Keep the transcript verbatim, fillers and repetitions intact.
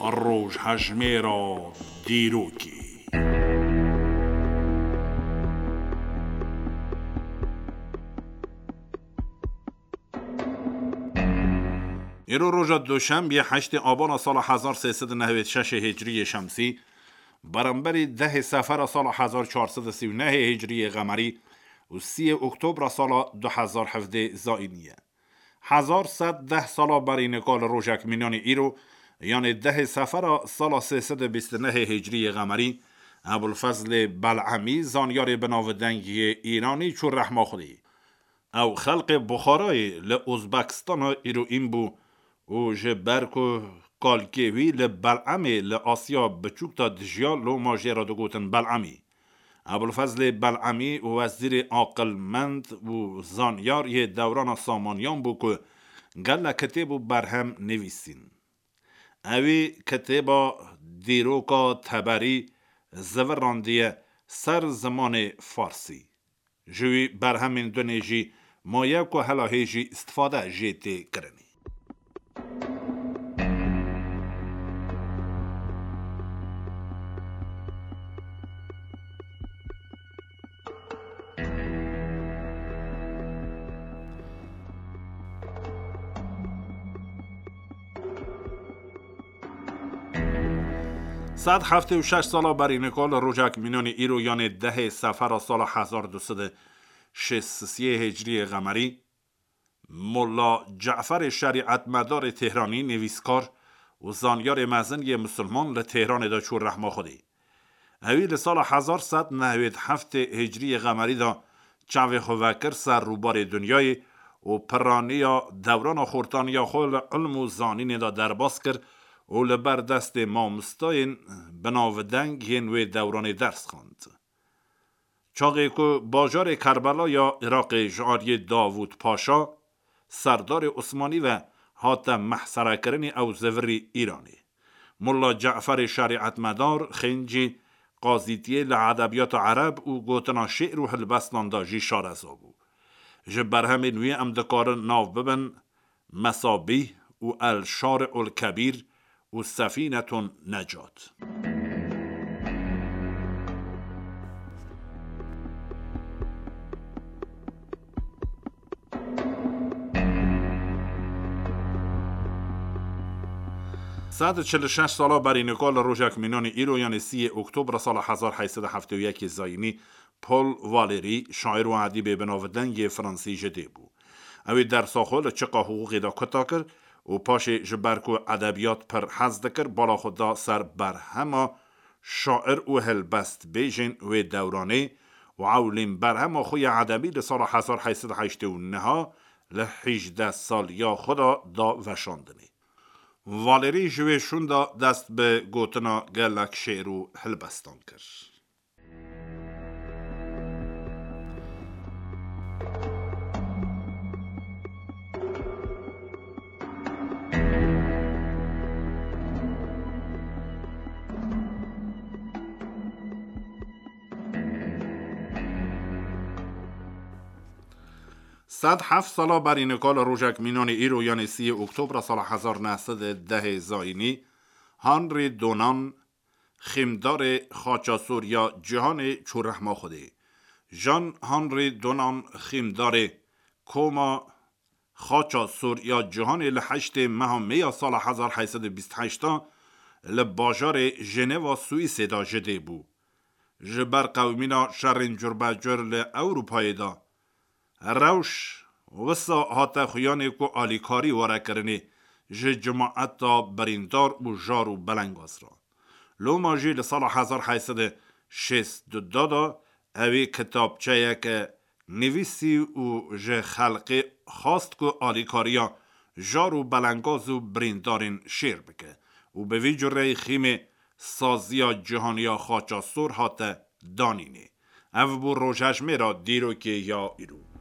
Rojhejmêra dîrokê. Îro roja Duşembiyê heştê Abana sala hezar sê sed û nehwêd şeş hicriyê şemsî, beramberî dehê Sefera sala hezar çar sed û sî û nehê hicriyê qemerî û sîyê Oktobra sala du hezar hevdê zayînî ye. Hezar sed deh sala berî nika li rojek mînanê îro, yanê dehê Sefera sala sê sed û bîst û nehê hicriyê qemerî, Ebulfezlê Belemî, zanyarê binavdeng yê Îranî, çû rehma Xwedê. Ew xelqê Buxarayê li Uzbekistana îroîn bû û ji ber ku kalkê wî li Belemê li Asya Biçûk de dijiya, loma jê re digotin Belemî. Ebulfezlê Belemî wezîrê aqilmend û zanyar yê dewrana Samaniyan bû ku gelek kitêb û berhem nivîsîn. Ewî kitêba Dîroka Teberî zivirandiye ser zimanê farsî. Ji wî berhemên dunê jî maye ku hela hê jî istifade jê tê kirinê. Sed heftê û şeş sala berî nika li rojek mînanê îro, yanê dehê Sefera sala hezar du sed û şêst û sê hicriyê qemerî, Molla Caferê şerîetmedarê Têhranî, nivîskar û zanyarê mezin yê misilman, li Têhranê de çû rehma Xwedê. Ewî li sala hezar sed nehwêd heftê hicriyê qemerî de çavê xwe vekir ser rûbarê dinyayê û piraniya dewrana xortaniya xwe li ilm û zanînê de derbas kir û li ber destê mamostayên binavdeng yên wê dewranê ders xwend. Çaxê ku bajarê Kerbela ya Iraqê ji aliyê Davûd Paşa, serdarê Osmanî, ve hate mehserekirinê, ew zivirî Îranê. Molla Caferê şerîetmedar xêncî qazîtiyê li edebiyata ereb û gotina şê'r û hilbestan de jî şareza bû. Ji berhemên wî em dikarin nav bibin Mesabîh û El Şari'ul Kebîr û Sefînetun Necat. Sed û çil û şeş sala berî nika li rojek mînanê îro, yanê sîyê Oktobra sala hezar heyt sed û heftê û yekê zayînî, Paul Valéry, şair û edîbê binavdeng yê Fransî, ji dê bû. Ew ê dersa xwe li çiqa hiqûqê de kuta kir û paşê, ji ber ku edebiyat pir hez dikir, bala xwe da ser berhema şair û helbestbêjên wê dewranê û ewlîn berhema xwe ya edebî li sala hezar heyt sed û heştê û neh li hîjdeh saliya xwe de da veşandinê. Valerî ji wê şûn de dest bi gotina gelek şê'r û helbestan kir. Sed heft sala berî nika li rojek mînanê îro, yanê sîyê Oktobra sala hezar neh sed û dehê zayînî, Henri Dunant, xîmdarê xaça sor ya cîhanê, çû rehma Xwedê. Jean Henri Dunant, xîmdarê koma xaça sor ya cîhanê, li heştê meha Mê ya sala hezar heyt sed û bîst heşt li bajarê Jeneva Swîsê de ji dê bû. Ji ber qewimîna şerên curbecur li Ewropayê de, rewş wisa hate xuyanê ku alîkarî were kirinê ji cimaeta birîndar û jar û belengaz re. Loma jî li sala hezar heyt sed û şêst û du de ewê kitabçeyeke nivîsî û ji xelkê xwest ku alîkariya jar û belengaz û birîndarên şêr bike û bi vî cureyî xîmê saziya cîhanî ya xaça sor hate danînê. Ev bû rojhejmêra dîrokê ya îro.